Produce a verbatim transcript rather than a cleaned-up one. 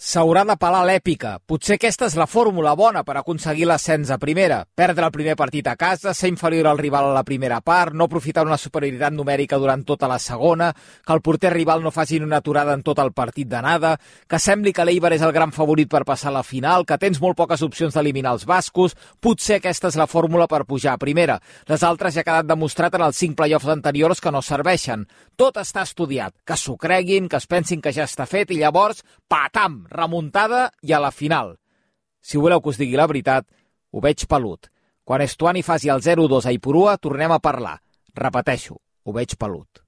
S'haurà de pelar l'èpica. Potser aquesta és la fórmula bona per aconseguir l'ascens a primera. Perdre el primer partit a casa, ser inferior al rival a la primera part, no aprofitar una superioritat numèrica durant tota la segona, que el porter rival no faci una aturada en tot el partit d'anada, que sembli que l'Eibar és el gran favorit per passar a la final, que tens molt poques opcions d'eliminar els bascos. Potser aquesta és la fórmula per pujar a primera. Les altres ja ha quedat demostrat en els cinc play-offs anteriors que no serveixen. Tot està estudiat. Que s'ho creguin, que es pensin que ja està fet i llavors, patam, remuntada i a la final. Si voleu que us digui la veritat, ho veig pelut. Quan Estuani faci el zero dos a Ipurua, tornem a parlar. Repeteixo, ho veig pelut.